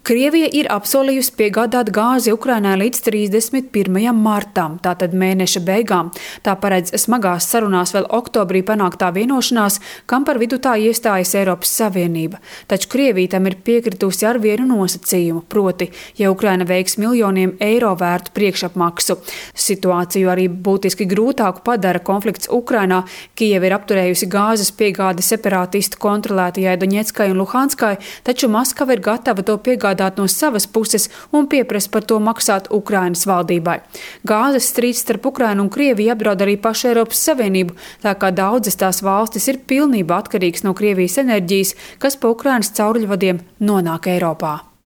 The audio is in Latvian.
Krievija ir apsolījusi piegādāt gāzi Ukrainai līdz 31. martam, tātad mēneša beigām. Tā paredz smagās sarunās vēl oktobrī panāktā vienošanās, kam par vidutāju iestājas Eiropas Savienība. Taču Krievija tam ir piekritusi ar vienu nosacījumu, proti, ja Ukraina veiks miljoniem eiro vērtu priekšapmaksu. Situāciju arī būtiski grūtāku padara konflikts Ukrainā. Kijeva ir apturējusi gāzes piegādi separātistu kontrolētajai Doņetskai un Luhanskai, taču Maskava ir gatava to piegādāt no savas puses un pieprasa par to maksāt Ukrainas valdībai. Gāzes strīds starp Ukrainu un Krieviju apdraud arī pašu Eiropas Savienību, tā kā daudzas tās valstis ir pilnībā atkarīgas no Krievijas enerģijas, kas pa Ukrainas cauruļvadiem nonāk Eiropā.